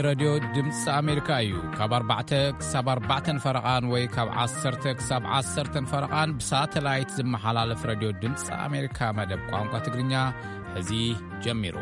ሬድዮ ድምፂ ኣሜሪካ እዩ። ካብ ኣርባዕተ ክሳብ ኣርባዕተን ፈረቓን ወይ ካብ ዓሰርተ ክሳብ ዓሰርተን ፈረቓን ብሳተላይት ዝመሓላለፍ ሬድዮ ድምፂ ኣሜሪካ መደብ ቋንቋ ትግርኛ ሕዚ ጀሚሩ።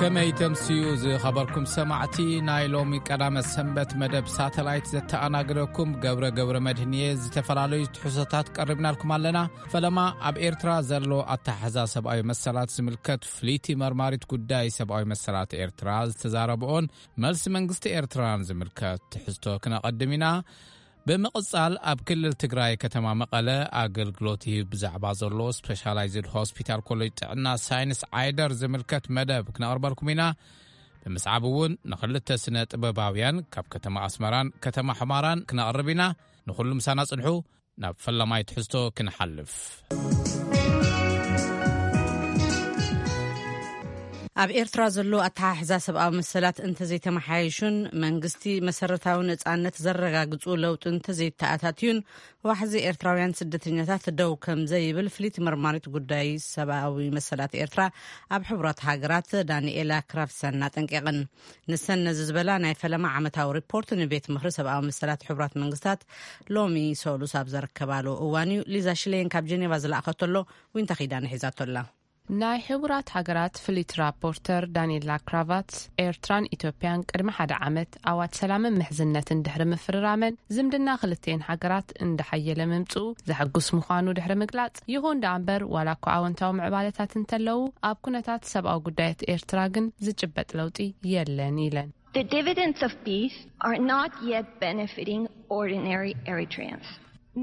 ከመይ ተምስዩ ዝኸበርኩም ሰማዕቲ፣ ናይ ሎሚ ቀዳመ ሰንበት መደብ ሳተላይት ዘተኣናግደኩም ገብረ ገብረ መድህን እየ። ዝተፈላለዩ ትሕዝቶታት ቀሪብናልኩም ኣለና። ፈለማ ኣብ ኤርትራ ዘሎ ኣተሓሕዛ ሰብኣዊ መሰላት ዝምልከት ፍልይቲ መርማሪት ጉዳይ ሰብኣዊ መሰላት ኤርትራ ዝተዛረብኦን መልሲ መንግስቲ ኤርትራን ዝምልከት ትሕዝቶ ክነቐድም ኢና። ብምቕጻል ኣብ ክልል ትግራይ ከተማ መቐለ ኣገልግሎት ይህብ ብዛዕባ ዘሎ ስፔሻላይዝድ ሆስፒታል ኮሌጅ ጥዕና ሳይንስ ዓይደር ዝምልከት መደብ ክነቕርበልኩም ኢና። ብምስዓብ እውን ንኽልተ ስነ ጥበባውያን ካብ ከተማ ኣስመራን ከተማ ሕማራን ክነቕርብ ኢና። ንኹሉ ምሳና ጽንሑ። ናብ ፈላማይ ትሕዝቶ ክንሓልፍ። ኣብ ኤርትራ ዘሎ ኣተሓሕዛ ሰብኣዊ መሰላት እንተዘይተመሓየሹን መንግስቲ መሰረታዊ ነጻነት ዘረጋግጹ ለውጢ እንተዘይተኣታትዩን፣ ዋሕዚ ኤርትራውያን ስደተኛታት ደው ከም ዘይብል ፍልይቲ መርማሪት ጉዳይ ሰብኣዊ መሰላት ኤርትራ ኣብ ሕቡራት ሃገራት ዳንኤላ ክራፍሰን ኣጠንቂቕን። ንሰን ነዚ ዝበላ ናይ ፈለማ ዓመታዊ ሪፖርት ንቤት ምኽሪ ሰብኣዊ መሰላት ሕቡራት መንግስታት ሎሚ ሰሉስ ኣብ ዘረከባሉ እዋን እዩ። ሊዛ ሽሌን ካብ ጀኔቫ ዝለኣኸቶ ኣሎ፣ ዊንታ ኺዳነ ሒዛቶ ኣላ። ናይ ሕቡራት ሃገራት ፍሊት ራፖርተር ዳንኤላ ክራቫትስ፣ ኤርትራን ኢትዮጵያን ቅድሚ ሓደ ዓመት ኣዋጅ ሰላምን ምሕዝነትን ድሕሪ ምፍርራመን፣ ዝምድና ክልቲኤን ሃገራት እንዳሓየለ ምምጽኡ ዘሐጉስ ምዃኑ ድሕሪ ምግላጽ፣ ይኹን ደኣ እምበር፣ ዋላ እኳ ኣወንታዊ ምዕባለታት እንተለዉ፣ ኣብ ኩነታት ሰብኣዊ ጉዳያት ኤርትራ ግን ዝጭበጥ ለውጢ የለን ኢለን። The dividends of peace are not yet benefiting ordinary Eritreans,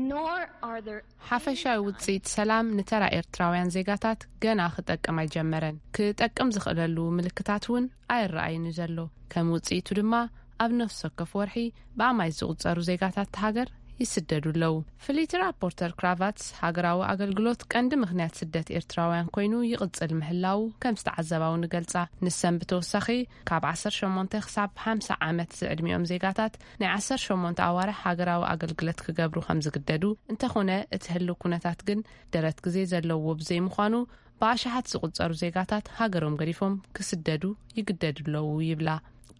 nor are there ሓፈሻዊ ውጽኢት ሰላም ንተራ ኤርትራውያን ዜጋታት ገና ክጠቅም ኣይጀመረን። ክጠቅም ዝኽእለሉ ምልክታት እውን ኣይረኣይን እዩ ዘሎ። ከም ውጽኢቱ ድማ ኣብ ነፍሲ ወከፍ ወርሒ ብኣማይት ዝቑጸሩ ዜጋታት እታ ሃገር ይስደዱ ኣለዉ። ፍልይቲ ራፖርተር ክራቫትስ፣ ሃገራዊ ኣገልግሎት ቀንዲ ምኽንያት ስደት ኤርትራውያን ኮይኑ ይቕጽል ምህላዉ ከም ዝተዓዘባ እውን ይገልጻ። ንሰን ብተወሳኺ፣ ካብ ዓሰርተ ሸሞንተ ክሳብ ሓምሳ ዓመት ዝዕድሚኦም ዜጋታት ናይ ዓሰርተ ሸሞንተ ኣዋርሕ ሃገራዊ ኣገልግሎት ክገብሩ ከም ዝግደዱ፣ እንተኾነ እቲ ህልው ኩነታት ግን ደረት ግዜ ዘለዎ ብዘይምዃኑ፣ ብኣሽሓት ዝቑጸሩ ዜጋታት ሃገሮም ገዲፎም ክስደዱ ይግደዱ ኣለዉ ይብላ።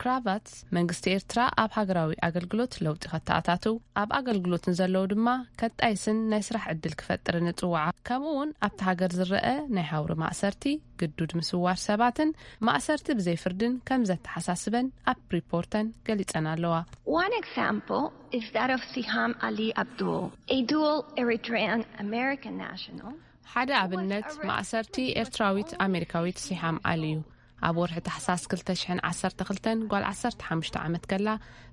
ክራቫትስ፣ መንግስቲ ኤርትራ ኣብ ሃገራዊ ኣገልግሎት ለውጢ ከተኣታትው፣ ኣብ ኣገልግሎት ንዘለዉ ድማ ከጣይስን ናይ ስራሕ ዕድል ክፈጥርን እጽውዓ። ከምኡ እውን ኣብቲ ሃገር ዝረአ ናይ ሃውሪ ማእሰርቲ፣ ግዱድ ምስዋር ሰባትን ማእሰርቲ ብዘይ ፍርድን ከም ዘተሓሳስበን ኣብ ሪፖርተን ገሊጸን ኣለዋ። One example is that of Siham Ali Abdul, a dual Eritrean American national ሓደ ኣብነት፣ ማእሰርቲ ኤርትራዊት ኣሜሪካዊት ሲሃም ኣሊ እዩ። ኣብ ወርሒ ታሕሳስ ክልተ ሽሕን ዓሰርተ ክልተን ጓል ዓሰርተ ሓሙሽተ ዓመት ከላ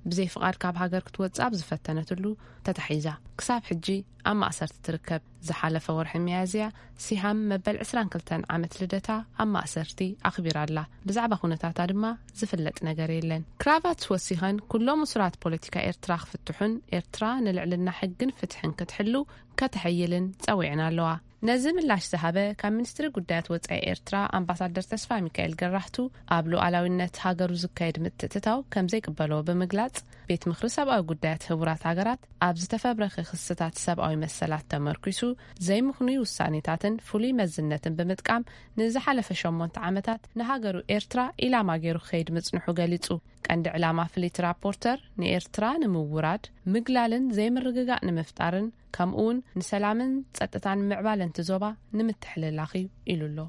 ብዘይ ፍቓድ ካብ ሃገር ክትወጽእ ኣብ ዝፈተነትሉ ተታሒዛ ክሳብ ሕጂ ኣብ ማእሰርቲ ትርከብ። ዝሓለፈ ወርሒ ሚያዝያ ሲሃም መበል ዕስራን ክልተን ዓመት ልደታ ኣብ ማእሰርቲ ኣኽቢራ ኣላ። ብዛዕባ ኩነታታ ድማ ዝፍለጥ ነገር የለን። ክራቫትስ ወሲኸን፣ ኩሎም እሱራት ፖለቲካ ኤርትራ ክፍትሑን ኤርትራ ንልዕልና ሕግን ፍትሕን ክትሕሉ ከተሐይልን ጸዊዐን ኣለዋ። ነዚ ምላሽ ዝሃበ ካብ ሚኒስትሪ ጉዳያት ወጻኢ ኤርትራ ኣምባሳደር ተስፋ ሚካኤል ገራህቱ፣ ኣብ ሉዓላዊነት ሃገሩ ዝካየድ ምትእትታው ከም ዘይቅበሎ ብምግላጽ፣ ቤት ምኽሪ ሰብኣዊ ጉዳያት ህቡራት ሃገራት ኣብ ዝተፈብረኸ ክስታት ሰብኣዊ መሰላት ተመርኲሱ ዘይምኽኑይ ውሳኔታትን ፍሉይ መዝነትን ብምጥቃም፣ ንዝሓለፈ ሸሞንተ ዓመታት ንሃገሩ ኤርትራ ኢላማ ገይሩ ክኸይድ ምጽንሑ ገሊጹ። ቀንዲ ዕላማ ፍሊት ራፖርተር ንኤርትራ ንምውራድ፣ ምግላልን ዘይምርግጋእ ንምፍጣርን፣ ከምኡውን ንሰላምን ጸጥታን ምዕባለን እቲ ዞባ ንምትሕልላኽ እዩ ኢሉ ኣሎ።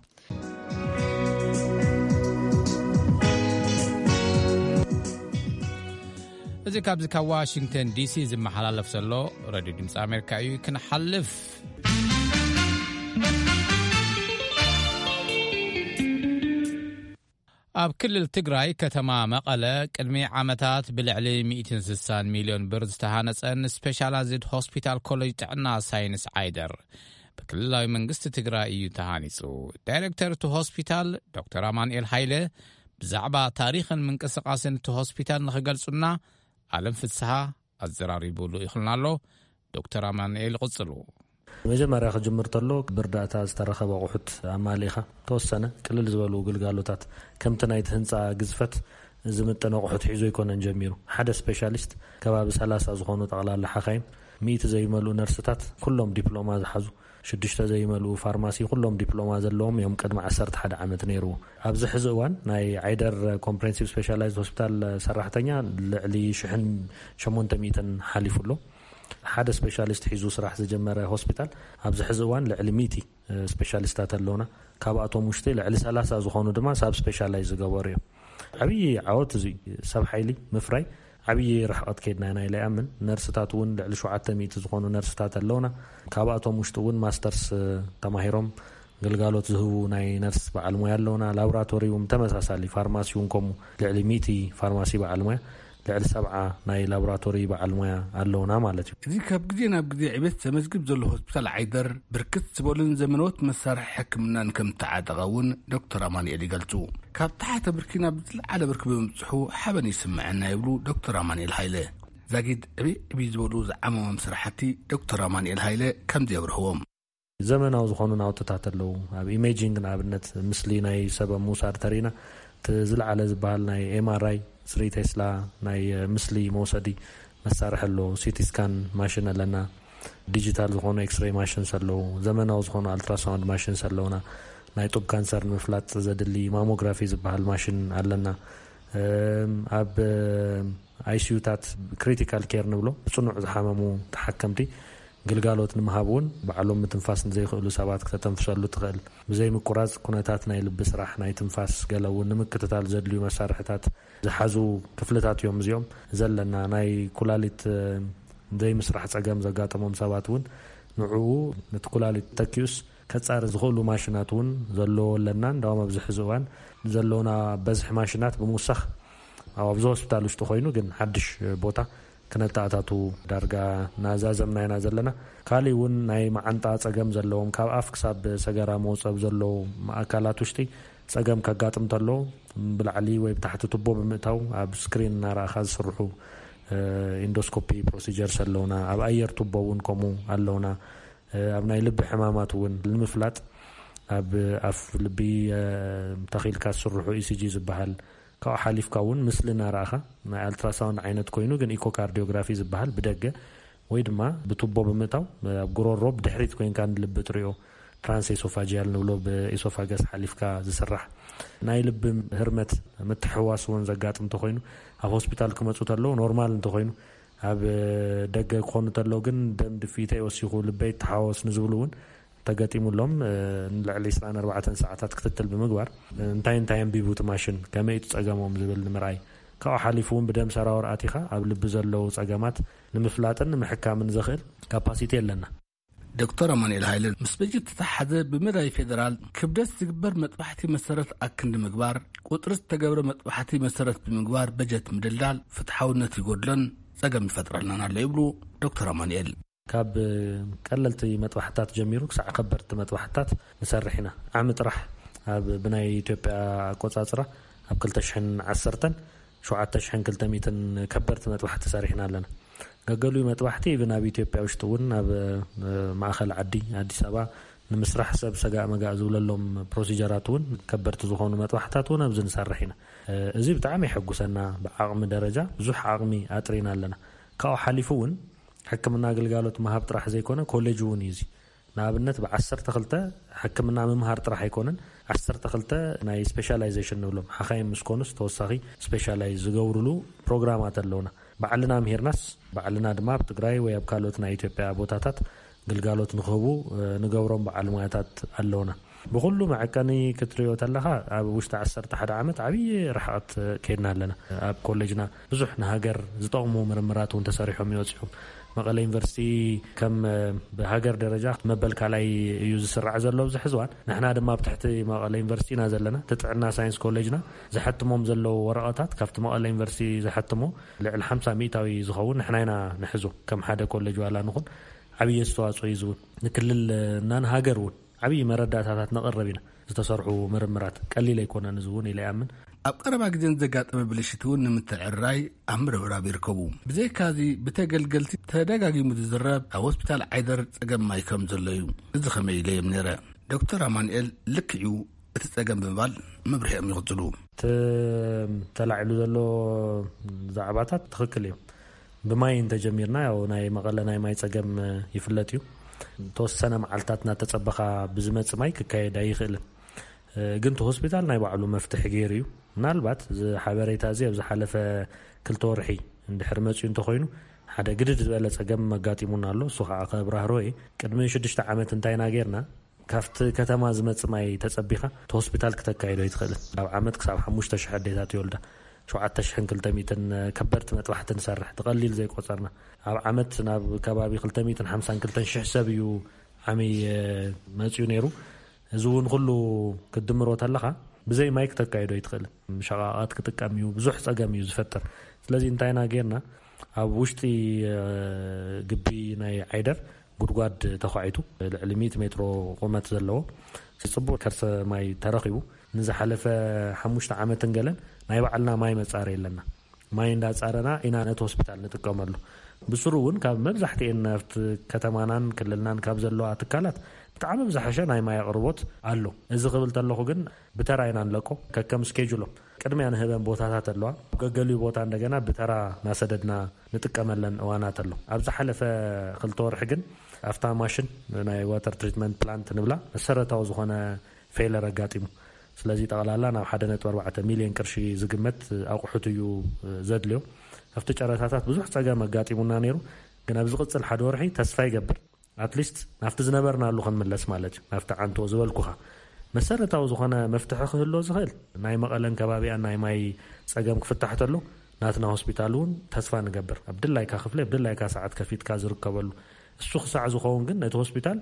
እዚ ካብዚ ካብ ዋሽንግተን ዲሲ ዝመሓላለፍ ዘሎ ሬድዮ ድምፂ ኣሜሪካ እዩ። ክንሓልፍ ኣብ ክልል ትግራይ ከተማ መቐለ ቅድሚ ዓመታት ብልዕሊ ሚእትን ስሳን ሚልዮን ብር ዝተሃነጸን ስፔሻላይዝድ ሆስፒታል ኮሌጅ ጥዕና ሳይንስ ዓይደር ብክልላዊ መንግስቲ ትግራይ እዩ ተሃኒጹ። ዳይሬክተር እቲ ሆስፒታል ዶክተር ኣማኑኤል ሃይለ ብዛዕባ ታሪኽን ምንቅስቓስን እቲ ሆስፒታል ንኽገልጹና ኣለም ፍስሃ ኣዘራሪቡሉ ይኽልና ኣሎ። ዶክተር ኣማኑኤል ይቕጽሉ። መጀመርያ ክጅምር ተሎ ብእርዳእታ ዝተረኸበ ኣቑሑት ኣማሊእኻ ተወሰነ ቅልል ዝበሉ ግልጋሎታት ከምቲ ናይቲ ህንፃ ግዝፈት ዝምጥን ኣቑሑት ሒዙ ኣይኮነን ጀሚሩ። ሓደ ስፔሻሊስት ከባቢ ሰላሳ ዝኾኑ ጠቕላላ ሓኻይም ሚእቲ ዘይመልኡ ነርስታት ኩሎም ዲፕሎማ ዝሓዙ፣ ሽዱሽተ ዘይመልኡ ፋርማሲ ኩሎም ዲፕሎማ ዘለዎም እዮም። ቅድሚ ዓሰርተ ሓደ ዓመት ነይርዎ። ኣብዚ ሕዚ እዋን ናይ ዓይደር ኮምፕሬንሲቭ ስፔሻላይዝድ ሆስፒታል ሰራሕተኛ ልዕሊ ሽሕን ሸሞንተ ሚእትን ሓሊፉ ኣሎ። ሓደ ስፔሻሊስት ሒዙ ስራሕ ዝጀመረ ሆስፒታል ኣብዚ ሕዚ እዋን ልዕሊ ሚእቲ ስፔሻሊስታት ኣለውና። ካብኣቶም ውሽጢ ልዕሊ ሰላሳ ዝኾኑ ድማ ሳብ ስፔሻላይዝ ዝገበሩ እዮም። ዓብዪ ዓወት እዚ ሰብ ሓይሊ ምፍራይ ዓብዪ ርሕቐት ከይድና ኢና ኢለ ይኣምን። ነርስታት እውን ልዕሊ ሸውዓተ ሚእቲ ዝኾኑ ነርስታት ኣለውና። ካብኣቶም ውሽጢ እውን ማስተርስ ተማሂሮም ግልጋሎት ዝህቡ ናይ ነርስ በዓል ሞያ ኣለውና። ላቦራቶሪ እውን ተመሳሳሊ፣ ፋርማሲ እውን ከምኡ ልዕሊ ሚእቲ ፋርማሲ በዓል ሞያ፣ ልዕሊ ሰብዓ ናይ ላቦራቶሪ በዓል ሞያ ኣለውና ማለት እዩ። እዚ ካብ ግዜ ናብ ግዜ ዕቤት ዘመዝግብ ዘሎ ሆስፒታል ዓይደር ብርክት ዝበሉን ዘመናዎት መሳርሒ ሕክምናን ከም ተዓጠቐ እውን ዶክተር ኣማኑኤል ይገልጹ። ካብ ታሕተ ብርኪ ናብ ዝለዓለ ብርኪ ብምብጽሑ ሓበን ይስምዐና ይብሉ ዶክተር ኣማኑኤል ሃይለ። ዛጊድ ዕብይ ዕብይ ዝበሉ ዝዓመሞም ስራሕቲ ዶክተር ኣማኑኤል ሃይለ ከምዚ የብርህዎም። ዘመናዊ ዝኾኑ ናውትታት ኣለዉ። ኣብ ኢሜጂንግ ንኣብነት፣ ምስሊ ናይ ሰብ ኣብ ምውሳድ ተሪና፣ እቲ ዝለዓለ ዝበሃል ናይ ኤምኣርኣይ፣ ስሪ ቴስላ ናይ፣ እ፣ ምስሊ መውሰዲ መሳርሒ ኣሎ። ሲቲ ስካን ማሽን ኣለና። ዲጂታል ዝኾኑ ኤክስሬይ ማሽንስ ኣለዉ። ዘመናዊ ዝኾኑ ኣልትራሳውንድ ማሽንስ ኣለውና። ናይ ጡብ ካንሰር ንምፍላጥ ዘድሊ ማሞግራፊ ዝበሃል ማሽን ኣለና። እም፣ ኣብ፣ እ፣ ኣይሲዩታት፣ ክሪቲካል ኬር ንብሎ፣ ብጽኑዕ ዝሓመሙ ተሓከምቲ ግልጋሎት ንምሃብ እውን፣ ባዕሎም ምትንፋስ ንዘይክእሉ ሰባት ክተተንፍሰሉ ትኽእል። ብዘይ ምቁራጽ ኩነታት ናይ ልቢ ስራሕ፣ ናይ ትንፋስ፣ ገለ እውን ንምክትታል ዘድልዩ መሳርሕታት ዝሓዙ ክፍልታት እዮም እዚኦም። ዘለና ናይ ኩላሊት፣ እ፣ ዘይምስራሕ ጸገም ዘጋጠሞም ሰባት እውን ንዕኡ፣ ነቲ ኩላሊት ተኪኡስ ከጻሪ ዝኽእሉ ማሽናት እውን ዘለዎ ኣለና። እንዳውም ኣብዚ ሕዚ እዋን ዘሎና በዝሒ ማሽናት ብምውሳኽ፣ ኣብ ኣብዚ ሆስፒታል ውሽጢ ኮይኑ ግን ሓድሽ ቦታ ክነተኣታቱ ዳርጋ ናዛዘምና ኢና ዘለና። ካሊእ እውን ናይ መዓንጣ ጸገም ዘለዎም፣ ካብ ኣፍ ክሳብ ሰገራ መውጸብ ዘለዎም ኣካላት ውሽጢ ጸገም ከጋጥም ተሎ፣ ብላዕሊ ወይ ብታሕቲ ቱቦ ብምእታው ኣብ ስክሪን እናረኣኻ ዝስርሑ፣ እ፣ ኢንዶስኮፒ ፕሮሲጀርስ ኣለውና። ኣብ ኣየር ቱቦ እውን ከምኡ ኣለውና። እ፣ ኣብ ናይ ልቢ ሕማማት እውን ንምፍላጥ ኣብ ኣፍ ልቢ፣ እ፣ ተኺልካ ዝስርሑ ኢሲጂ ዝበሃል፣ ካብኡ ሓሊፍካ እውን ምስሊ እናረኣኻ፣ ናይ ኣልትራሳውንድ ዓይነት ኮይኑ ግን ኢኮካርዲዮግራፊ ዝበሃል ብደገ፣ ወይ ድማ ብቱቦ ብምእታው፣ ኣብ ጉሮሮ ብድሕሪት ኮይንካ ንልቢ ትሪኦ፣ ትራንስ ኤሶፋጂያል ንብሎ፣ ብኤሶፋገስ ሓሊፍካ ዝስራሕ፣ ናይ ልቢ ህርመት ምትሕዋስ እውን ዘጋጥም እንተኾይኑ፣ ኣብ ሆስፒታል ክመፁ ተለዉ ኖርማል እንተኾይኑ፣ ኣብ ደገ ክኾኑ ተለዉ ግን ደም ድፍኢተይ ወሲኹ፣ ልበይ ተሓወስ ንዝብሉ እውን ተገጢሙሎም፣ እ፣ ንልዕሊ ዕስራን ኣርባዕተን ሰዓታት ክትትል ብምግባር፣ እ፣ እንታይ እንታይ ኣንቢቡ እቲ ማሽን፣ ከመይ እቲ ጸገሞም ዝብል ንምርኣይ፣ ካብኡ ሓሊፉ እውን ብደም ሰራውር ኣቲኻ ኣብ ልቢ ዘለዉ ጸገማት ንምፍላጥን ንምሕካምን ዘኽእል ካፓሲቲ ኣለና። ዶክተር ኣማኑኤል ሃይለ፣ ምስ በጀት ዝተሓዘ ብመዳይ ፌደራል ክብደት ዝግበር መጥባሕቲ መሰረት ኣክንዲ ምግባር፣ ቁጽሪ ዝተገብረ መጥባሕቲ መሰረት ብምግባር በጀት ምድልዳል ፍትሓውነት ይጎድሎን ጸገም ይፈጥረልናን ኣሎ ይብሉ ዶክተር ኣማኑኤል። ካብ ቀለልቲ መጥባሕታት ጀሚሩ ክሳዕ ከበድቲ መጥባሕታት ንሰርሕ ኢና። ዓሚ ጥራሕ ኣብ ብናይ ኢትዮጵያ ኣቆጻጽራ ኣብ ክልተ ሽሕን ዓሰርተን ሸውዓተ ሽሕን ክልተ ሚእትን ከበድቲ መጥባሕቲ ሰሪሕና ኣለና። ገገሊኡ መጥባሕቲ ኢቭን ኣብ ኢትዮጵያ ውሽጢ እውን ኣብ፣ እ፣ ማእኸል ዓዲ ኣዲስ ኣበባ ንምስራሕ ሰብ ሰጋእ መጋእ ዝብለሎም ፕሮሲጀራት እውን ከበድቲ ዝኾኑ መጥባሕታት እውን ኣብዚ ንሰርሕ ኢና። እ፣ እዚ ብጣዕሚ የሐጉሰና። ብዓቕሚ ደረጃ ብዙሕ ዓቕሚ ኣጥሪና ኣለና። ካብኡ ሓሊፉ እውን ሕክምና ግልጋሎት ምሃብ ጥራሕ ዘይኮነ ኮሌጅ እውን እዩ እዚ። ንኣብነት ብዓሰርተ ክልተ ሕክምና ምምሃር ጥራሕ ኣይኮነን፣ ዓሰርተ ክልተ ናይ ስፔሻላይዜሽን ንብሎም ሓኻይም ምስ ኮኑስ ተወሳኺ ስፔሻላይዝ ዝገብሩሉ ፕሮግራማት ኣለውና። ባዕልና ምሂርናስ ባዕልና ድማ ኣብ ትግራይ ወይ ኣብ ካልኦት ናይ ኢትዮጵያ ቦታታት ግልጋሎት ንክህቡ፣ እ፣ ንገብሮም በዓል ሞያታት ኣለውና። ብኹሉ መዐቀኒ ክትሪኦ ተለኻ ኣብ ውሽጢ ዓሰርተ ሓደ ዓመት ዓብዪ ርሕቐት ከይድና ኣለና። ኣብ ኮሌጅና ብዙሕ ንሃገር ዝጠቕሙ ምርምራት እውን ተሰሪሖም ይወፅኦም። መቐለ ዩኒቨርሲቲ ከም፣ እ፣ ብሃገር ደረጃ መበል ካልኣይ እዩ ዝስራዕ ዘሎ ኣብዚ ሕዚ እዋን። ንሕና ድማ ኣብ ትሕቲ መቐለ ዩኒቨርሲቲ ኢና ዘለና። እቲ ጥዕና ሳይንስ ኮሌጅና ዘሐትሞም ዘለዉ ወረቐታት ካብቲ መቐለ ዩኒቨርሲቲ ዘሐትሞ ልዕሊ ሓምሳ ሚእታዊ ዝኸውን ንሕና ኢና ንሕዞ። ከም ሓደ ኮሌጅ ዋላ ንኹን ዓብዪ ኣስተዋፅኦ እዩ ዝውን። ንክልል እና ንሃገር እውን ዓብዪ መረዳእታታት ነቕርብ ኢና። ዝተሰርሑ ምርምራት ቀሊል ኣይኮነን፣ እዚ እውን ኢለ ይኣምን። ኣብ ቀረባ ግዜ ንዘጋጠመ ብልሽት እውን ንምትዕርራይ ኣብ ምርብራብ ይርከቡ። ብዘይካዚ ብተገልገልቲ ተደጋጊሙ ዝዝረብ ኣብ ሆስፒታል ዓይደር ጸገም ማይ ከም ዘሎ እዩ። እዚ ከመይ ኢለ እዮም ነይረ። ዶክተር ኣማኑኤል ልክዕ እዩ እቲ ጸገም ብምባል መብርሂኦም ይቕጽሉ። እቲ ተላዒሉ ዘሎ ዛዕባታት ትኽክል እዮም። ብማይ እንተጀሚርና፣ ያው ናይ መቐለ ናይ ማይ ጸገም ይፍለጥ እዩ። ተወሰነ መዓልታት እናተጸበኻ ብዝመጽእ ማይ ክካየድ ኣይኽእልን። ግን እቲ ሆስፒታል ናይ ባዕሉ መፍትሒ ገይሩ እዩ። ምናልባት እዚ ሓበሬታ እዚ ኣብ ዝሓለፈ ክልተ ወርሒ እንድሕር መጺኡ እንተኾይኑ፣ ሓደ ግድድ ዝበለ ጸገም ኣጋጢሙና ኣሎ። እሱ ከዓ ከብራህሮ እየ። ቅድሚ ሽዱሽተ ዓመት እንታይ ኢና ጌርና? ካብቲ ከተማ ዝመጽእ ማይ ተጸቢኻ እቲ ሆስፒታል ክተካይዶ ኣይትኽእልን። ኣብ ዓመት ክሳብ ሓሙሽተ ሽሕ ኣዴታት ይወልዳ። ሸውዓተ ሽሕን ክልተ ሚእትን ከበድቲ መጥባሕቲ ንሰርሕ፣ ብቐሊል ዘይቆጸርና። ኣብ ዓመት ናብ ከባቢ ክልተ ሚእትን ሓምሳን ክልተን ሽሕ ሰብ እዩ ዓሚ መጺኡ ነይሩ። እዚ እውን ኩሉ ክትድምሮ ተለኻ ብዘይ ማይ ክተካይዶ ኣይትኽእልን። ሸቓቓት ክጥቀም እዩ፣ ብዙሕ ጸገም እዩ ዝፈጥር። ስለዚ እንታይ ኢና ጌርና? ኣብ ውሽጢ ግቢ ናይ ዓይደር ጉድጓድ ተዃዒቱ፣ ልዕሊ ሚእቲ ሜትሮ ቁመት ዘለዎ ጽቡቕ ከርሰ ማይ ተረኺቡ። ንዝሓለፈ ሓሙሽተ ዓመትን ገለን ናይ ባዕልና ማይ መጻረ የለና። ማይ እንዳጻረና ኢና ነቲ ሆስፒታል ንጥቀመሉ። ብስሩ እውን ካብ መብዛሕትኤን ናብቲ ከተማናን ክልልናን ካብ ዘለዋ ትካላት ብጣዕሚ ብዝሓሸ ናይ ማይ ኣቕርቦት ኣሎ። እዚ ክብል ተለኹ ግን ብተራ ኢና ንለቆ፣ ከከም ስኬጁሎም። ቅድሚያ ንህበን ቦታታት ኣለዋ። ኣብ ገገሊኡ ቦታ እንደገና ብተራ ናሰደድና ንጥቀመለን እዋናት ኣሎ። ኣብ ዝሓለፈ ክልተ ወርሒ ግን ኣብታ ማሽን፣ ናይ ዋተር ትሪትመንት ፕላንት ንብላ፣ መሰረታዊ ዝኾነ ፌለር ኣጋጢሙ። ስለዚ ጠቕላላ ናብ ሓደ ነጥቢ ኣርባዕተ ሚልዮን ቅርሺ ዝግመት ኣቑሑት እዩ ዘድልዮ። ኣብቲ ጨረታታት ብዙሕ ጸገም ኣጋጢሙና ነይሩ፣ ግን ኣብ ዝቕጽል ሓደ ወርሒ ተስፋ ይገብር፣ ኣትሊስት ናብቲ ዝነበርናሉ ክንምለስ ማለት እዩ። ናብቲ ዓንቶ ዝበልኩኻ መሰረታዊ ዝኾነ መፍትሒ ክህሎ ዝኽእል፣ ናይ መቐለን ከባቢኣን ናይ ማይ ጸገም ክፍታሕ ተሎ፣ ናትና ሆስፒታል እውን ተስፋ ንገብር፣ ኣብ ድላይካ ክፍሊ፣ ኣብ ድላይካ ሰዓት ከፊትካ ዝርከበሉ። እሱ ክሳዕ ዝኸውን ግን ነቲ ሆስፒታል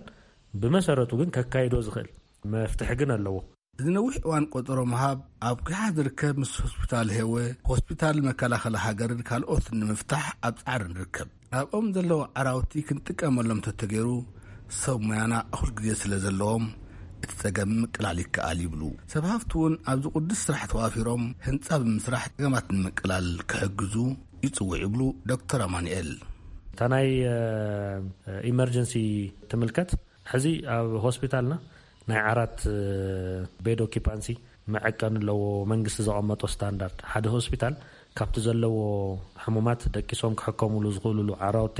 ብመሰረቱ ግን ከካይዶ ዝኽእል መፍትሒ ግን ኣለዎ። እዚ ነዊሕ እዋን ቆጸሮ ምሃብ ኣብ ኪሓ ዝርከብ ምስ ሆስፒታል ሄወ፣ ሆስፒታል መከላኸሊ ሃገርን ካልኦትን ንምፍታሕ ኣብ ጻዕሪ ንርከብ። ኣብኦም ዘለዉ ዓራውቲ ክንጥቀመሎም ተተገይሩ፣ ሰብ ሙያና እኹል ግዜ ስለ ዘለዎም፣ እቲ ጸገም ምቅላል ይከኣል ይብሉ። ሰብ ሃፍቲ እውን ኣብዚ ቅዱስ ስራሕ ተዋፊሮም፣ ህንጻ ብምስራሕ ጸገማት ንምቅላል ክሕግዙ ይጽውዕ ይብሉ ዶክተር ኣማኑኤል። እታ ናይ ኢመርጀንሲ ትምልከት፣ ሕዚ ኣብ ሆስፒታልና ናይ ዓራት ቤድ ኦኪፓንሲ መዐቀኒ ኣለዎ፣ መንግስቲ ዘቐመጦ ስታንዳርድ። ሓደ ሆስፒታል ካብቲ ዘለዎ ሕሙማት ደቂሶም ክሕከሙሉ ዝኽእሉሉ ዓራውቲ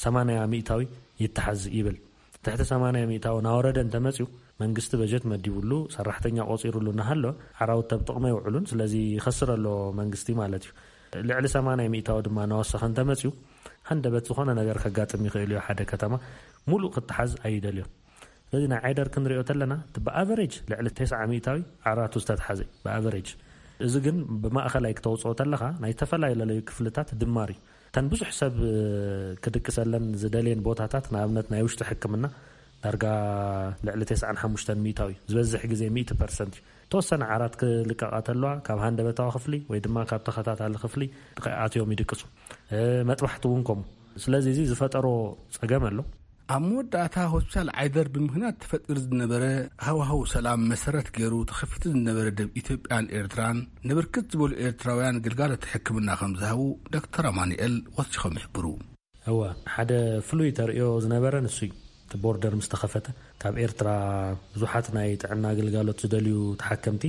ሰማንያ ሚእታዊ ይተሓዝ ይብል። ትሕቲ ሰማንያ ሚእታዊ ናወረደ እንተመፅዩ፣ መንግስቲ በጀት መዲቡሉ፣ ሰራሕተኛ ቆፂሩሉ እናሃለወ፣ ዓራውቲ ኣብ ጥቕሚ ኣይውዕሉን። ስለዚ ይኸስር ኣሎ መንግስቲ ማለት እዩ። ልዕሊ ሰማንያ ሚእታዊ ድማ እናወሰኸ እንተመፅዩ፣ ሃንደበት ዝኾነ ነገር ከጋጥም ይኽእል እዩ። ሓደ ከተማ ሙሉእ ክተሓዝ ኣይደልዮን። ስለዚ ናይ ዓይደር ክንሪኦ ተለና፣ እቲ ብኣቨሬጅ ልዕሊ ተስዓ ሚእታዊ ዓራቱ ዝተተሓዘ እዩ፣ ብኣቨሬጅ። እዚ ግን ብማእኸላይ ክተውፅኦ ተለኻ፣ ናይ ዝተፈላለዩ ክፍልታት ድማር እዩ። እተን ብዙሕ ሰብ ክድቅሰለን ዝደልየን ቦታታት፣ ንኣብነት ናይ ውሽጢ ሕክምና፣ ዳርጋ ልዕሊ ተስዓን ሓሙሽተን ሚእታዊ፣ ዝበዝሕ ግዜ ሚእቲ ፐርሰንት እዩ። ተወሰነ ዓራት ክልቀቓ ተለዋ፣ ካብ ሃንደበታዊ ክፍሊ ወይ ድማ ካብ ተኸታታሊ ክፍሊ ኣትዮም ይድቅሱ። መጥባሕቲ እውን ከምኡ። ስለዚ እዚ ዝፈጠሮ ጸገም ኣሎ። ኣብ መወዳእታ፣ ሆስፒታል ዓይደር ብምኽንያት ተፈጢሩ ዝነበረ ሃዋህው ሰላም መሰረት ገይሩ ተኸፊቱ ዝነበረ ደብ ኢትዮጵያን ኤርትራን፣ ንብርክት ዝበሉ ኤርትራውያን ግልጋሎት ሕክምና ከም ዝሃቡ ዶክተር ኣማኑኤል ወሲኾም ይሕብሩ። እወ፣ ሓደ ፍሉይ ተርእዮ ዝነበረ ንሱ እዩ። እቲ ቦርደር ምስ ተኸፈተ፣ ካብ ኤርትራ ብዙሓት ናይ ጥዕና ግልጋሎት ዝደልዩ ተሓከምቲ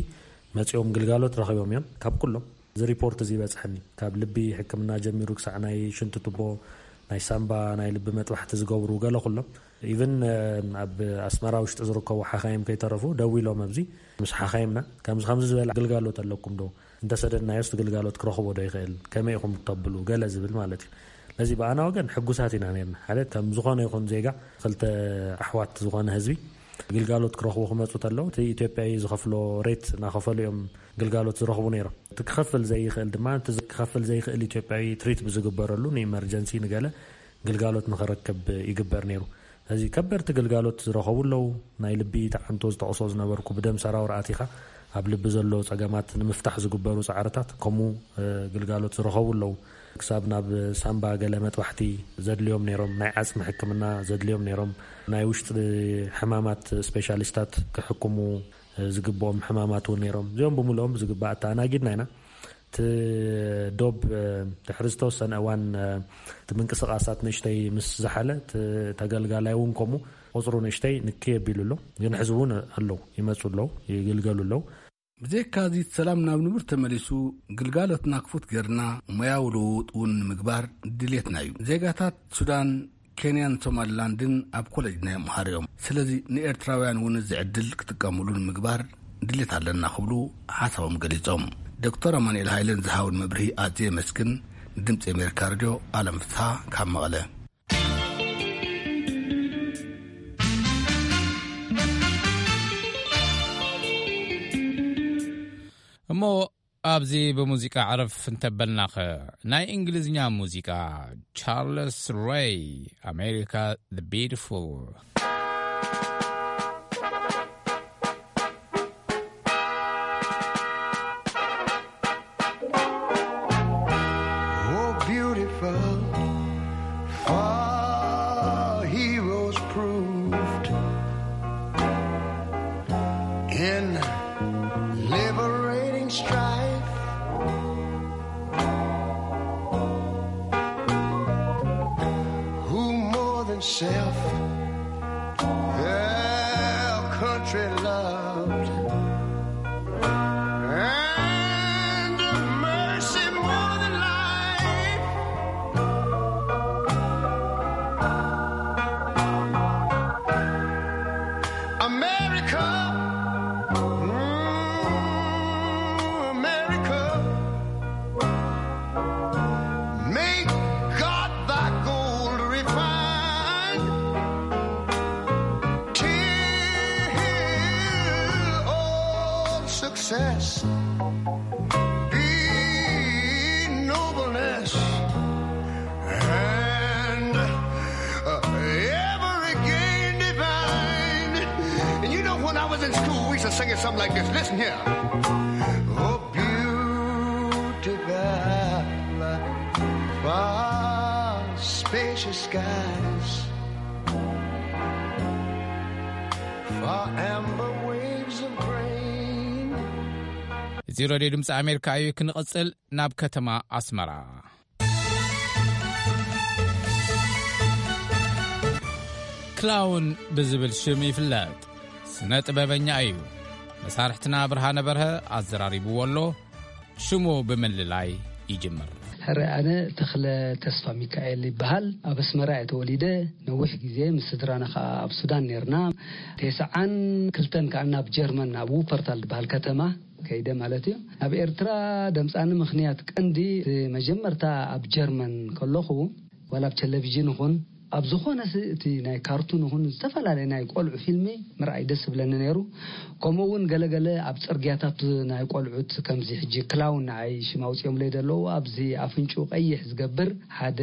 መጺኦም ግልጋሎት ረኺቦም እዮም። ካብ ኩሎም እዚ ሪፖርት እዚ ይበጽሐኒ። ካብ ልቢ ሕክምና ጀሚሩ ክሳዕ ናይ ሽንቲ ቱቦ፣ ናይ ሳምባ፣ ናይ ልቢ መጥባሕቲ ዝገብሩ ገለ ኩሎም። ኢቭን፣ እ፣ ኣብ ኣስመራ ውሽጢ ዝርከቡ ሓኻይም ከይተረፉ ደዊሎም ኣብዚ ምስ ሓኻይምና፣ ከምዚ ከምዚ ዝበለ ግልጋሎት ኣለኩም ዶ? እንተሰደድናዮስ እቲ ግልጋሎት ክረኽቦ ዶ ይኽእል? ከመይ ኢኹም እተብሉ? ገለ ዝብል ማለት እዩ። ነዚ ብኣና ወገን ሕጉሳት ኢና ነርና። ሓደ ከም ዝኾነ ይኹን ዜጋ፣ ክልተ ኣሕዋት ዝኾነ ህዝቢ ግልጋሎት ክረኽቡ ክመጹ ተለዉ፣ እቲ ኢትዮጵያዊ ዝኸፍሎ ሬት እናኸፈሉ እዮም ግልጋሎት ዝረኽቡ ነይሮም። እቲ ክኸፍል ዘይኽእል ድማ፣ እቲ ክኸፍል ዘይኽእል ኢትዮጵያዊ ትሪት ብዝግበረሉ፣ ንኢመርጀንሲ ንገለ ግልጋሎት ንኽረክብ ይግበር ነይሩ። እዚ ከበድቲ ግልጋሎት ዝረኸቡ ኣለዉ። ናይ ልቢ ተዓንቶ ዝጠቕሶ ዝነበርኩ፣ ብደም ሰራውር ኣቲኻ ኣብ ልቢ ዘሎ ጸገማት ንምፍታሕ ዝግበሩ ጻዕርታት፣ ከምኡ፣ እ፣ ግልጋሎት ዝረኸቡ ኣለዉ። ክሳብ ናብ ሳምባ ገለ መጥባሕቲ ዘድልዮም ነይሮም፣ ናይ ዓጽሚ ሕክምና ዘድልዮም ነይሮም፣ ናይ ውሽጢ ሕማማት ስፔሻሊስታት ክሕክሙ፣ እ፣ ዝግብኦም ሕማማት እውን ነይሮም። እዚኦም ብምልኦም ብዝግባእ ኣተኣናጊድና ኢና። እቲ ዶብ፣ እ፣ ድሕሪ ዝተወሰነ እዋን፣ እ፣ እቲ ምንቅስቓሳት ንእሽተይ ምስ ዝሓለ፣ እቲ ተገልጋላይ እውን ከምኡ ቁጽሩ ንእሽተይ ንክይ ኣቢሉ ኣሎ። ግን ሕዚ እውን ኣለዉ፣ ይመጹ ኣለዉ፣ ይግልገሉ ኣለዉ። ብዘይካዚ ሰላም ናብ ንቡር ተመሊሱ ግልጋሎትና ክፉት ጌርና ሞያዊ ልውውጥ እውን ንምግባር ድሌትና እዩ። ዜጋታት ሱዳን፣ ኬንያን ሶማሊላንድን ኣብ ኮሌጅ ናይ ምሃር እዮም። ስለዚ ንኤርትራውያን እውን እዚ ዕድል ክጥቀምሉ ንምግባር ድሌት ኣለና ክብሉ ሓሳቦም ገሊጾም። ዶክተር ኣማኑኤል ሃይለን ዝሃውን መብርሂ ኣዝየ የመስግን። ንድምፂ ኣሜሪካ ሬድዮ ኣለም ፍስሓ ካብ መቐለ። እሞ ኣብዚ ብሙዚቃ ዕረፍ እንተበልናኸ፣ ናይ እንግሊዝኛ ሙዚቃ ቻርለስ ሬይ፣ ኣሜሪካ the beautiful። Oh, beautiful, for heroes proved in liberating strife. Who more than self their country loved? And mercy more than life. America, mm, America, may God thy gold refine till all success be nobleness and, uh, ever again divine. And you know, when I was in school, we used to sing it something like this. Listen here. Oh, beautiful, far spacious skies, far amber waves of grain. እዚ ሬድዮ ድምፂ ኣሜሪካ እዩ። ክንቐፅል ናብ ከተማ ኣስመራ። ክላውን ብዝብል ሽም ይፍለጥ። ስነ ጥበበኛ እዩ። መሳርሕትና ብርሃነ በርሀ ኣዘራሪብዎ ኣሎ። ሽሙ ብምልላይ ይጅምር። ሕረ ኣነ ተኽለ ተስፋ ሚካኤል ይበሃል። ኣብ ኣስመራ እየ ተወሊደ። ነዊሕ ግዜ ምስ ስድራና ኸኣ ኣብ ሱዳን ነርና። ተስዓን ክልተን ከኣ ናብ ጀርመን፣ ኣብ ውፐርታል ዝበሃል ከተማ ከይደ ማለት እዩ። ኣብ ኤርትራ ደምጻኒ ምኽንያት ቀንዲ፣ እቲ መጀመርታ ኣብ ጀርመን ከለኹ፣ ዋላ ኣብ ቴሌቪዥን ይኹን ኣብ ዝኾነ ስ-፣ እቲ ናይ ካርቱን ይኹን ዝተፈላለየ ናይ ቆልዑ ፊልሚ ምርኣይ ደስ ዝብለኒ ነይሩ። ከምኡ እውን ገለገለ ኣብ ጽርግያታት ናይ ቆልዑት ከምዚ ሕጂ ክላውን ንዓይ ሽም ኣውጺኦምለይ ዘለዉ፣ ኣብዚ ኣፍንጭኡ ቀይሕ ዝገብር ሓደ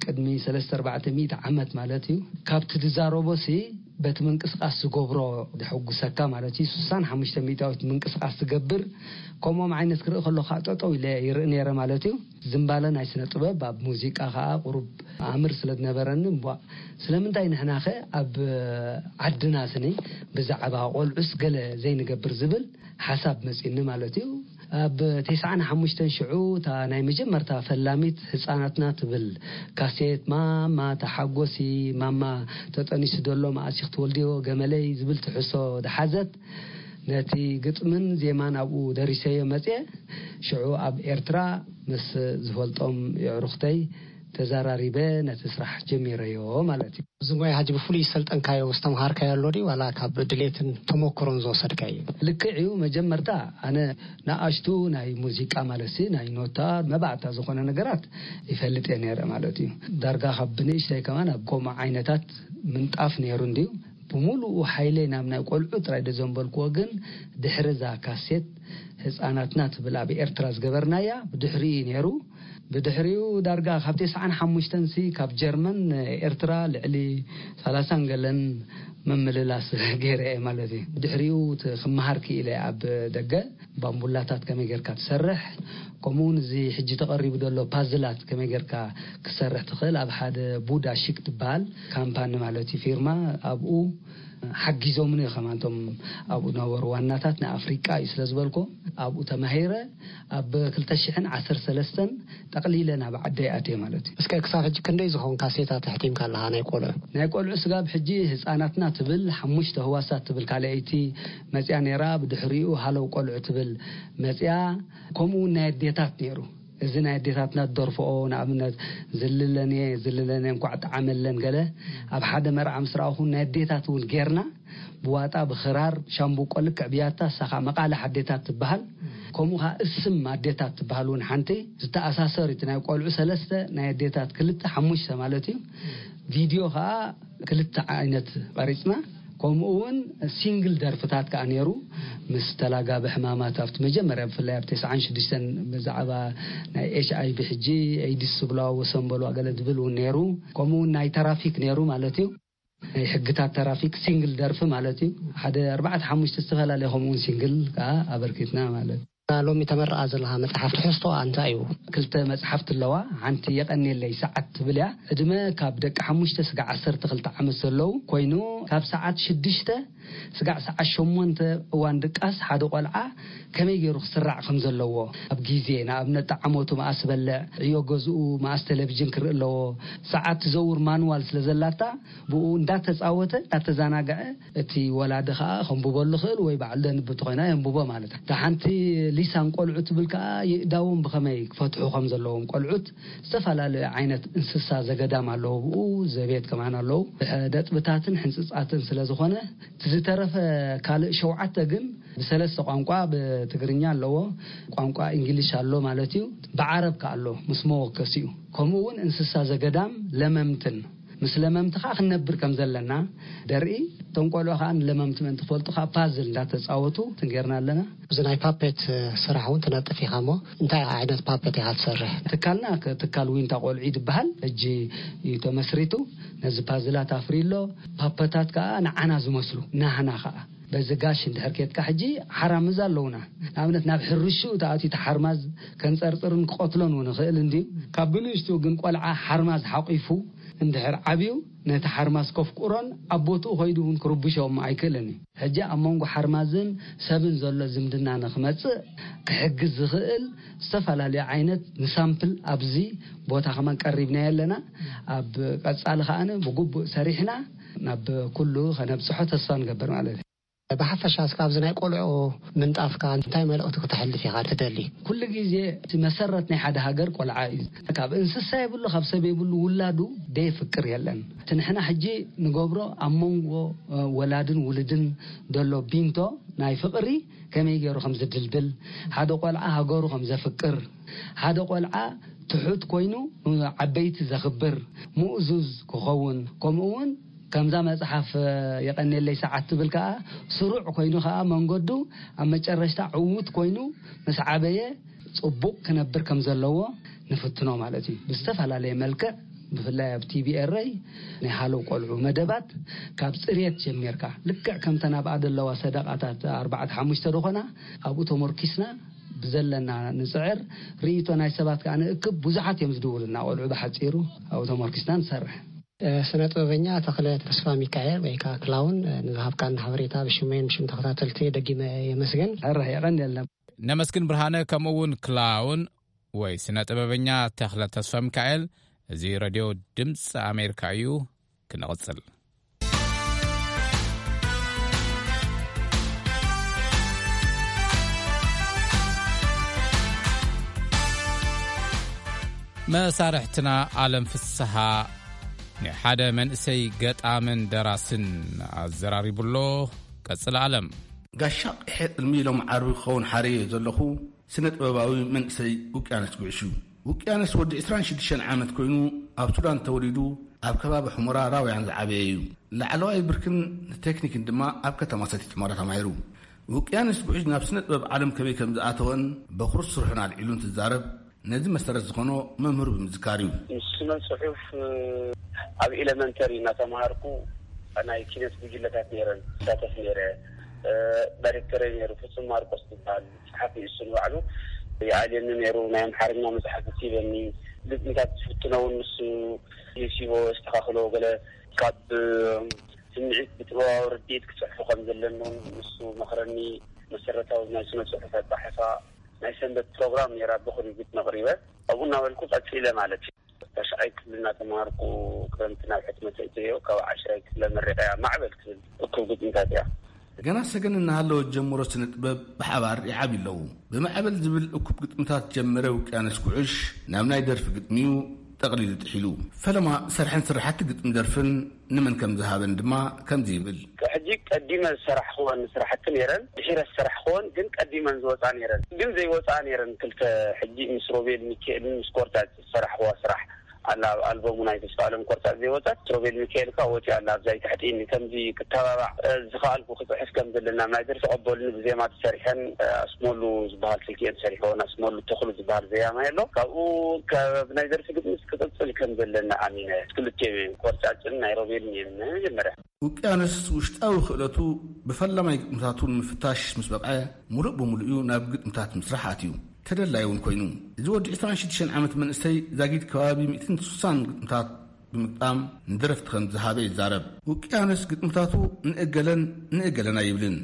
ቅድሚ ሰለስተ ኣርባዕተ ሚእቲ ዓመት ማለት እዩ። ካብቲ ዝዛረቦሲ በቲ ምንቅስቃስ ዝገብሮ ዘሐጉሰካ ማለት እዩ። ስሳን ሓሙሽተ ሚእታዊት ምንቅስቃስ ዝገብር፣ ከምኦም ዓይነት ክርኢ ከለኹ ከዓ ጠጠው ኢለ ይርኢ ነይረ ማለት እዩ። ዝምባለ ናይ ስነ ጥበብ ኣብ ሙዚቃ ከዓ ቁሩብ ኣምር ስለ ዝነበረኒ፣ እምቧእ፣ ስለምንታይ ንሕናኸ ኣብ ዓድና ስኒ ብዛዕባ ቆልዑስ ገለ ዘይንገብር ዝብል ሓሳብ መጺኒ ማለት እዩ። ኣብ ተስዓን ሓሙሽተን ሽዑ እታ ናይ መጀመርታ ፈላሚት ህጻናትና ትብል ካሴት፣ ማማ ተሓጎሲ፣ ማማ ተጠኒሱ ደሎ መኣስ ኢኺ ትወልድዮ ገመለይ ዝብል ትሕዝቶ ዝሓዘት፣ ነቲ ግጥምን ዜማን ኣብኡ ደሪሰዮ መጽየ። ሽዑ ኣብ ኤርትራ ምስ ዝፈልጦም የዕሩኽተይ ተዘራሪበ ነቲ ስራሕ ጀሚረዮ ማለት እዩ። እዚ ሞያ ሕጂ ብፍሉይ ዝሰልጠንካዮ፣ ዝተምሃርካዮ ኣሎ ድዩ፣ ዋላ ካብ ድሌትን ተመክሮን ዝወሰድካዮ? ልክዕ እዩ። መጀመርታ ኣነ ንኣሽቱ ናይ ሙዚቃ ማለት ሲ፣ ናይ ኖታ መባእታ ዝኾነ ነገራት ይፈልጥ እየ ነይረ ማለት እዩ። ዳርጋ ካብ ብንእሽተይ ከማን ኣብ ከምኡ ዓይነታት ምንጣፍ ነይሩ እንድዩ። ብምሉኡ ሓይለይ ናብ ናይ ቆልዑ ጥራይ ዶ ዘንበልክዎ፣ ግን ድሕሪ እዛ ካሴት ህፃናትና ትብል ኣብ ኤርትራ ዝገበርናያ ብድሕሪኡ እዩ ነይሩ። ብድሕሪኡ ዳርጋ ካብ ተስዓን ሓሙሽተን ሲ ካብ ጀርመን ኤርትራ ልዕሊ ሰላሳን ገለን ምምልላስ ገይረ እየ ማለት እዩ። ብድሕሪኡ እቲ ክመሃር ክኢለ ኣብ ደገ ባምቡላታት ከመይ ጌርካ ትሰርሕ፣ ከምኡ እውን እዚ ሕጂ ተቐሪቡ ዘሎ ፓዝላት ከመይ ጌርካ ክሰርሕ ትኽእል፣ ኣብ ሓደ ቡዳ ሺክ ትበሃል ካምፓኒ ማለት እዩ፣ ፊርማ፣ ኣብኡ ሓጊዞምኒ ከማን እቶም ኣብኡ ነበሩ ዋናታት። ንኣፍሪቃ እዩ ስለ ዝበልኮ ኣብኡ ተማሂረ፣ ኣብ ክልተ ሽሕን ዓሰርተ ሰለስተን ጠቕሊለ ናብ ዓደይ ኣትየ ማለት እዩ። እስከ ክሳብ ሕጂ ክንደይ ዝኸውን ካሴታት ኣሕቲምካ ኣለኻ ናይ ቆልዑ? ናይ ቆልዑ ስጋብ ሕጂ ህፃናትና ትብል ሓሙሽተ ህዋሳት ትብል ካልኣይቲ መፅያ ነይራ። ብድሕሪኡ ሃለው ቆልዑ ትብል መፅያ። ከምኡ እውን ናይ ኣዴታት ነይሩ። እዚ ናይ ኣዴታትና ዝደርፍኦ፣ ንኣብነት፣ ዝልለንየ ዝልለንየ እንኳዕ ጠዓመለን ገለ፣ ኣብ ሓደ መርዓ ምስ ረኣኹ ናይ ኣዴታት እውን ጌርና፣ ብዋጣ፣ ብኽራር፣ ሻምብቆ፣ ልክዕ ብያታ፣ እሳ ኸዓ መቓልሕ ኣዴታት ትበሃል። ከምኡ ኸዓ እስም ኣዴታት ትበሃል እውን ሓንቲ ዝተኣሳሰር እዩ። እቲ ናይ ቆልዑ ሰለስተ፣ ናይ ኣዴታት ክልተ፣ ሓሙሽተ ማለት እዩ። ቪድዮ ኸዓ ክልተ ዓይነት ቀሪፅና። ከምኡ እውን ሲንግል ደርፍታት ከዓ ነይሩ። ምስ ተላጋቢ ሕማማት ኣብቲ መጀመርያ፣ ብፍላይ ኣብ ተስዓን ሽዱሽተን፣ ብዛዕባ ናይ ኤች ኣይ ቪ፣ ሕጂ ኤይድስ ዝብልዋ፣ ወሰን በልዋ ገለ ዝብል እውን ነይሩ። ከምኡ እውን ናይ ተራፊክ ነይሩ ማለት እዩ። ናይ ሕግታት ተራፊክ ሲንግል ደርፊ ማለት እዩ። ሓደ ኣርባዕተ ሓሙሽተ ዝተፈላለየ ከምኡ እውን ሲንግል ከዓ ኣበርኪትና ማለት እዩ። ሎሚ ተመርቓ ዘለኻ መጽሓፍ ትሕዝቶኣ እንታይ እዩ? ክልተ መጽሓፍቲ ኣለዋ። ሓንቲ የቐንየለይ ሰዓት ትብል እያ። ዕድመ ካብ ደቂ ሓሙሽተ ስጋዕ ዓሰርተ ክልተ ዓመት ዘለዉ ኮይኑ፣ ካብ ሰዓት ሽዱሽተ ስጋዕ ሰዓት ሸሞንተ እዋን ድቃስ ሓደ ቆልዓ ከመይ ገይሩ ክስራዕ ከም ዘለዎ፣ ኣብ ግዜ፣ ንኣብነት፣ ጠዓሞቱ መኣስ በልዕ፣ ዕዮ ገዝኡ መኣስ ቴሌቪዥን ክርኢ ኣለዎ፣ ሰዓት ትዘውር ማንዋል ስለ ዘላታ፣ ብኡ እንዳተጻወተ፣ እንዳተዘናግዐ፣ እቲ ወላዲ ኸኣ ከንብበሉ ይኽእል ወይ ባዕሉ ደንብብ ተኾይና የንብቦ ማለት እዩ። እታ ሓንቲ ሊሳን ቆልዑ ትብል ከኣ፣ የእዳዎም ብኸመይ ክፈትሑ ከም ዘለዎም፣ ቆልዑት ዝተፈላለዩ ዓይነት እንስሳ ዘገዳም ኣለዉ፣ ብኡ ዘቤት ከማን ኣለዉ። ነጥብታትን ሕንጽጻትን ስለ ዝኾነ፣ እቲ ዝተረፈ ካልእ ሸውዓተ ግን ብሰለስተ ቋንቋ፣ ብትግርኛ ኣለዎ፣ ቋንቋ እንግሊሽ ኣሎ ማለት እዩ፣ ብዓረብ ከኣ ኣሎ ምስ መወከሲኡ። ከምኡ እውን እንስሳ ዘገዳም ለመምትን፣ ምስ ለመምቲ ኸዓ ክንነብር ከም ዘለና ደርኢ። እቶም ቆልዑ ኸዓ ንለመምቲ ምእንቲ ክፈልጡ ኸዓ ፓዝል እንዳተጻወቱ ትንጌርና ኣለና። እዚ ናይ ፓፔት ስራሕ እውን ትነጥፍ ኢኻ እሞ፣ እንታይ ዓይነት ፓፔት ኢኻ ትሰርሕ? ትካልና ከ-፣ ትካል ዊንታ ቆልዑ እዩ ዝበሃል። ሕጂ እዩ ተመስሪቱ። ነዚ ፓዝላት ኣፍርዩ ኣሎ። ፓፐታት ከኣ ንዓና ዝመስሉ፣ ናህና ከኣ። በዚ ጋሽ እንድሕር ኬድካ፣ ሕጂ ሓራምዝ ኣለውና። ንኣብነት፣ ናብ ሕርሽኡ ተኣትዩ፣ እቲ ሓርማዝ ከንጸርጽርን ክቐትሎን እውን ይኽእል እንድዩ። ካብ ብንእሽትኡ ግን ቆልዓ ሓርማዝ ሓቂፉ እንድሕር ዓብዩ፣ ነቲ ሓርማዝ ከፍቁሮን ኣብ ቦትኡ ከይዱ እውን ክርብሾ እሞ ኣይክእልን እዩ። ሕጂ ኣብ መንጎ ሓርማዝን ሰብን ዘሎ ዝምድና ንኽመጽእ ክሕግዝ ዝኽእል ዝተፈላለዩ ዓይነት ንሳምፕል ኣብዚ ቦታ ከማን ቀሪብናዮ ኣለና። ኣብ ቀጻሊ ከኣ ብግቡእ ሰሪሕና ናብ ኩሉ ከነብጽሖ ተስፋ ንገብር ማለት እዩ። ብሓፈሻ እስከ ኣብዚ ናይ ቆልዑ ምንጣፍካ እንታይ መልእኽቲ ክተሕልፍ ኢኻ ትደሊ? ኩሉ ግዜ እቲ መሰረት ናይ ሓደ ሃገር ቆልዓ እዩ። ካብ እንስሳ የብሉ፣ ካብ ሰብ የብሉ፣ ውላዱ ደየፍቅር የለን። እቲ ንሕና ሕጂ ንገብሮ ኣብ መንጎ፣ እ፣ ወላድን ውሉድን ዘሎ ቢንቶ ናይ ፍቕሪ ከመይ ገይሩ ከም ዝድልድል፣ ሓደ ቆልዓ ሃገሩ ከም ዘፍቅር፣ ሓደ ቆልዓ ትሑት ኮይኑ ዓበይቲ ዘኽብር፣ ምእዙዝ ክኸውን፣ ከምኡ እውን ከምዛ መጽሓፍ፣ እ፣ የቐንየለይ ሰዓት ትብል ከኣ፣ ስሩዕ ኮይኑ ከኣ መንገዱ ኣብ መጨረሽታ ዕዉት ኮይኑ ምስ ዓበየ ጽቡቕ ክነብር ከም ዘለዎ ንፍትኖ ማለት እዩ። ብዝተፈላለየ መልክዕ፣ ብፍላይ ኣብ ቲ ቢ ኤር ኣይ ናይ ሃለው ቆልዑ መደባት፣ ካብ ጽርየት ጀሚርካ፣ ልክዕ ከምተን ኣብኣ ዘለዋ ሰደቓታት ኣርባዕተ ሓሙሽተ ዝኾና፣ ኣብኡ ተመርኪስና ብዘለና ንጽዕር፣ ርእይቶ ናይ ሰባት ከኣ ንእክብ። ብዙሓት እዮም ዝድውሉና ቆልዑ፣ ብሓጺሩ ኣብኡ ተመርኪስና ንሰርሕ። እ፣ ስነ ጥበበኛ ተኽለ ተስፋ ሚካኤል ወይ ከኣ ክላውን፣ እ፣ ንዝሃብካና ሓበሬታ ብሽመይን ብሽም ተኸታተልቲ ደጊመ የመስግን። ሕራይ የቐንየልና። ነመስግን ብርሃነ፣ ከምኡ እውን ክላውን ወይ ስነ ጥበበኛ ተኽለ ተስፋ ሚካኤል። እዚ ሬድዮ ድምፂ ኣሜሪካ እዩ። ክንቕፅል። መሳርሕትና ኣለም ፍስሃ ንሓደ መንእሰይ ገጣምን ደራስን ኣዘራሪቡሎ። ቀጽል ኣለም። ጋሻ ቂሐ ጥልሚ ሎም ዓርቢ ክኸውን ሓረየ ዘለኹ ስነ ጥበባዊ መንእሰይ ውቅያኖስ ጉዕሽ እዩ። ውቅያኖስ ወዲ ዕስራን ሽዱሽተን ዓመት ኮይኑ ኣብ ሱዳን ተወሊዱ ኣብ ከባቢ ሑመራ ራውያን ዝዓበየ እዩ። ላዕለዋይ ብርክን ቴክኒክን ድማ ኣብ ከተማ ሰቲት ሑመራ ተማሂሩ። ውቅያኖስ ጉዕሽ ናብ ስነ ጥበብ ዓለም ከመይ ከም ዝኣተወን በኹሪ ስርሑን ኣልዒሉ እንትዛረብ ነዚ መሰረት ዝኾኖ መምህሩ ብምዝካር እዩ። ስነ ጽሑፍ ኣብ ኤለመንተሪ እናተምሃርኩ ናይ ኪነት ጉጅለታት ነይረን ይሳተፍ ነይረ። ዳይሬክተረይ ነይሩ ፍጹም ማርቆስ ዝበሃል ጸሓፊ፣ እሱ ንባዕሉ ይኣልየኒ ነይሩ። ናይ ኣምሓርኛ መጽሓፍ ሂበኒ። ግጥምታት ዝፍትኖ እውን ንሱ ይሲቦ፣ የስተኻኽሎ። ገለ ካብ ስምዒት ብጥበባዊ ርድኢት ክጽሕፎ ከም ዘለኒ እውን ንሱ መኽረኒ። መሰረታዊ ናይ ስነ ጽሑፍ ኣጻሕፋ ናይ ሰንበት ፕሮግራም ነይራ፣ ብኹን ግጥሚ ኣቕሪበ። ኣብኡ እናበልኩ ቀጺለ ማለት እዩ። ታሽዓይ ክፍሊ እናተምሃርኩ ክረምቲ ናብ ሕትመት እትዮ፣ ካብ ዓሽራይ ክፍለ መሪቐያ ማዕበል ትብል እኩብ ግጥምታት እያ። ገና ሰገን እናሃለወ ዝጀመሮ ስነ ጥበብ ብሓባር ይዓብዩ ኣለዉ። ብማዕበል ዝብል እኩብ ግጥምታት ጀመረ ውቅያኖስ ኩዕሽ ናብ ናይ ደርፊ ግጥሚዩ ጠቕሊሉ ጥሒሉ። ፈለማ ሰርሐን ስራሓቲ ግጥሚ ደርፍን ንመን ከም ዝሃበን ድማ ከምዚ ይብል። ሕጂ ቀዲመ ዝሰራሕክወን ስራሕቲ ነይረን፣ ድሒረ ዝሰራሕክወን ግን ቀዲመን ዝወፃ ነይረን፣ ግን ዘይወፃ ነይረን ክልተ። ሕጂ ምስ ሮቤል ሚካኤልን ምስ ኮርታ ዝሰራሕክዋ ስራሕ ኣላ፣ ኣብ ኣልበሙ ናይ ተስፋ ኣለም ቆርጣ ዘይወፀት፣ ሮቤል ሚካኤል ከኣ ወፂኣ ኣላ። ኣብዛ ይትሕጢኒ ከምዚ ክተባባዕ፣ እ፣ ዝኸኣልኩ ክፅሕፍ ከም ዘለና ናይ ደርፊ ቀበሉኒ ብዜማ ተሰሪሐን፣ እ፣ ኣስመሉ ዝበሃል ስልኪ እየን ሰሪሐወን። ኣስመሉ ተኽሉ ዝበሃል ዘያማይ ኣሎ። ካብኡ ካብ ናይ ደርፊ ግጥምስ ክቕጽል ከም ዘለና ኣሚነ። ክልቲኦም እዮም፣ ቆርጫጭን ናይ ሮቤልን እዮም መጀመርያ። ውቅያኖስ ውሽጣዊ ክእለቱ ብፈላማይ ግጥምታቱ ንምፍታሽ ምስ በቕዐ፣ ሙሉእ ብምሉእ እዩ ናብ ግጥምታት ምስራሕ ኣትዩ። ተደላይ እውን ኮይኑ። እዚ ወዲ ዕስራን ሽዱሽተን ዓመት መንእሰይ ዛጊድ ከባቢ ሚእትን ስሳን ግጥምታት ብምግጣም ንደረፍቲ ከም ዝሃበ ይዛረብ። ውቅያኖስ ግጥምታቱ ንእገለን ንእገለን ኣይብልን።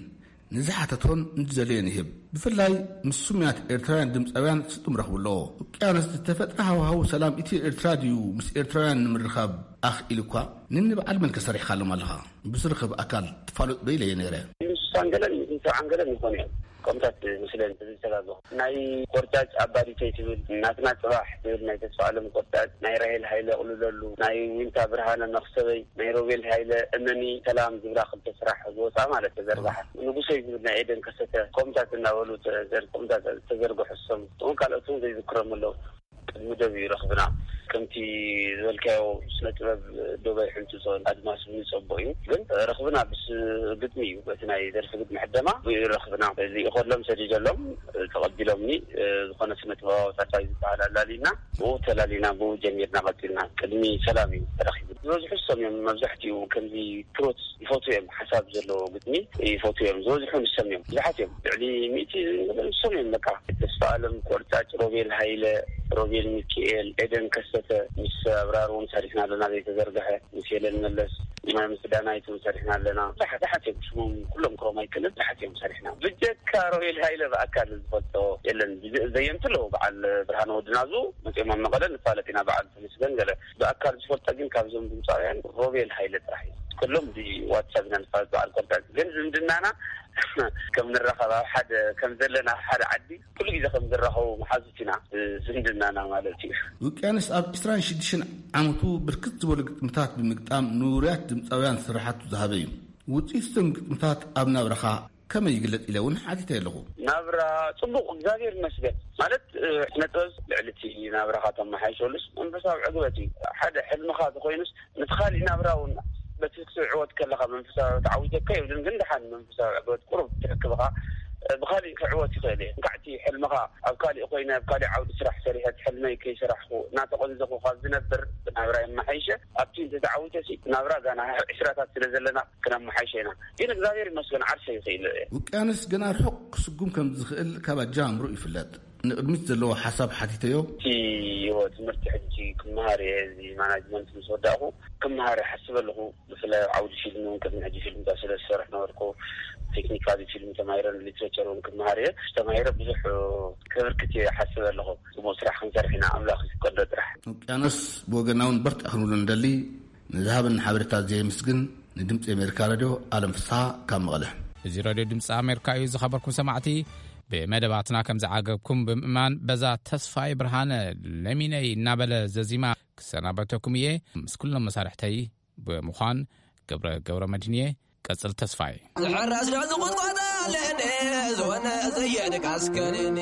ንዝሓተቶን ንዝደለዮን ይህብ። ብፍላይ ምስ ስሙያት ኤርትራውያን ድምፃውያን ስጡም ረኽቡ ኣለዎ። ውቅያኖስ ዝተፈጥረ ሃዋህው ሰላም ኢትዮ ኤርትራ ድዩ ምስ ኤርትራውያን ንምርኻብ ኣኽኢሉ እኳ? ንንበዓል መን ከሰሪሕካሎም ኣለኻ? ብዝርኸብ ኣካል ትፋለጥ ዶ ኢለዮ ነይረ። ምስ ሳንገለን ምስ ሰብዓን ገለን ይኾኑ እዮም። ከምታት ምስለን ዝተጋገኹ ናይ ቆርጫጭ ኣባዲተይ ትብል፣ ናትና ጽባሕ ትብል ናይ ተስፋ ኣለም ቆርጫጭ፣ ናይ ራሄል ሃይለ ቅልለሉ፣ ናይ ዊንታ ብርሃነ መኽሰበይ፣ ናይ ሮቤል ሃይለ እመኒ ሰላም ዝብላ ክልተ ስራሕ ዝወፃ ማለት ተዘርግሐ። ንጉሰይ ዝብል ናይ ኤደን ከሰተ ከምታት እናበሉ ተዘር-፣ ከምታት ተዘርግሑ ዝሰሙ። እቶም ካልኦት እውን ዘይዝክሮም ኣለዉ። ቅድሚ ደብ እዩ ረኽብና። ከምቲ ዝበልካዮ ስነ ጥበብ ዶብ ኣይሕንጽጾን፣ ኣድማስ እውን ይጸቦ እዩ። ግን ረኽብና ብስ ግጥሚ እዩ። በቲ ናይ ደርፊ ግጥሚ ሕደማ ብኡ እዩ ረኽብና። እዚ ይኸሎም ሰዲደሎም ተቐቢሎምኒ። ዝኾነ ስነ ጥበባዊ ታታይ ዝበሃል ኣላሊና፣ ብኡ ተላሊና፣ ብኡ ጀሚርና ቀጺልና። ቅድሚ ሰላም እዩ ተረኺቡ። ዝበዝሑ ሰም እዮም መብዛሕትኡ ከምዚ ትሮት ይፈትዉ እዮም። ሓሳብ ዘለዎ ግጥሚ ይፈትዉ እዮም። ዝበዝሑ ንሶም እዮም። ብዙሓት እዮም። ልዕሊ ሚእቲ ንሶም እዮም። በቃ ተስፋ ኣለም ቆርጫጭ፣ ሮቤል ሃይለ፣ ሮቤል ሚካኤል፣ ኤደን ከሰተ፣ ምስ ኣብራር እውን ሰሪሕና ኣለና ዘይተዘርግሐ፣ ምስ ሄለን መለስ፣ ምስ ዳናይት እውን ሰሪሕና ኣለና። ብዙሓት፣ ብዙሓት እዮም። ሽሞም ኩሎም ክሮም ኣይክእልን፣ ብዙሓት እዮም ሰሪሕና። ብጀካ ሮቤል ሃይለ ብኣካል ዝፈልጦ የለን። ብዘ-፣ ዘየምቲ ኣለዉ። በዓል ብርሃነ ወዲ ናዙ መፅኦም ኣብ መቐለ ንፋለጥ ኢና። በዓል ተመስገን ገለ ብኣካል ዝፈልጦ ግን ካብዞም ድምፃውያን ሮቤል ሃይለ ጥራሕ እዩ። ኩሎም ብዋትሳፕ ኢና ንፋለጥ በዓል ኮንታክት። ግን ዝምድናና ከም ንራኸብ ኣብ ሓደ ከም ዘለና ኣብ ሓደ ዓዲ ኩሉ ግዜ ከም ዝራኸቡ መሓዙት ኢና፣ ዝምድናና ማለት እዩ። ውቅያኖስ ኣብ ዕስራን ሽዱሽተን ዓመቱ ብርክት ዝበሉ ግጥምታት ብምግጣም ንውሩያት ድምፃውያን ስራሓቱ ዝሃበ እዩ። ውፅኢት እዞም ግጥምታት ኣብ ናብራኻ ከመይ ይግለጽ ኢለ እውን ሓቲተ ኣለኹ። ናብራ ጽቡቕ፣ እግዚኣብሔር ይመስገን። ማለት፣ እ፣ ስነ ጥበብ ልዕሊ እቲ ናብራኻ ተመሓይሸሉስ መንፈሳዊ ዕግበት እዩ። ሓደ ሕልምኻ ተኾይኑስ፣ ነቲ ካሊእ ናብራ እውን በቲ ክትዕወት ከለኻ መንፈሳዊ ተዓዊተካ ይብልን፣ ግን ደሓን መንፈሳዊ ዕግበት ቁሩብ ትረክብኻ፣ እ፣ ብኻሊእ ክዕወት ይኽእል እየ። እንካዕ እቲ ሕልምኻ ኣብ ካሊእ ኮይነ፣ ኣብ ካሊእ ዓውዲ ስራሕ ሰሪሐ፣ እቲ ሕልመይ ከይሰራሕኩ፣ እናተቐንዘኹ ካብ ዝነብር፣ ናብራ የመሓይሸ። ኣብቲ እንተተዓዊተሲ፣ ናብራ ጋና ዕስራታት ስለ ዘለና፣ ክነመሓይሸ ኢና። ግን እግዚኣብሔር ይመስገን ዓርሰ ይኽእል እየ። ውቅያኖስ ገና ርሑቕ ክስጉም ከም ዝኽእል ካብ ኣጀማምርኡ ይፍለጥ። ንቕድሚት ዘለዎ ሓሳብ ሓቲተዮ። እቲ ህይወት ትምህርቲ ሕጂ ክመሃር እየ። እዚ ማናጅመንት ምስ ወዳእኹ ክመሃር እየ ሓስብ ኣለኹ። ብፍላይ ኣብ ዓውዲ ፊልም እውን ቅድሚ ሕጂ ፊልምታት ስለ ዝሰርሕ ነበርኩ። ቴክኒካሊ ፊልም ተማሂረ፣ ሊትሬቸር እውን ክመሃር እየ። ተማሂረ ብዙሕ ከበርክት እየ ሓስብ ኣለኹ። ጽቡቕ ስራሕ ክንሰርሕ ኢና፣ ኣምላኽ ይፍቀዶ ጥራሕ። ውቅያኖስ ብወገና እውን በርትዕ ክንብሎ ንደሊ። ንዝሃበኒ ሓበሬታ ዘየምስግን ንድምፂ ኣሜሪካ ሬድዮ ኣለም ፍስሓ ካብ መቐለ። እዚ ሬድዮ ድምፂ ኣሜሪካ እዩ። ዝኸበርኩም ሰማዕቲ፣ ብመደባትና ከም ዝዓገብኩም ብምእማን፣ በዛ ተስፋይ ብርሃነ ለሚነይ እናበለ ዘዚማ ክሰናበተኩም እየ። ምስ ኩሎም መሳርሕተይ ብምዃን ገብረ ገብረ መድህን እየ። ቀጽል ተስፋይ። ዝሕረስ ዶ ዝቑጥቋጥ ኣለኒ፣ ዝኾነ ዘየድቃስ ከኒኒ።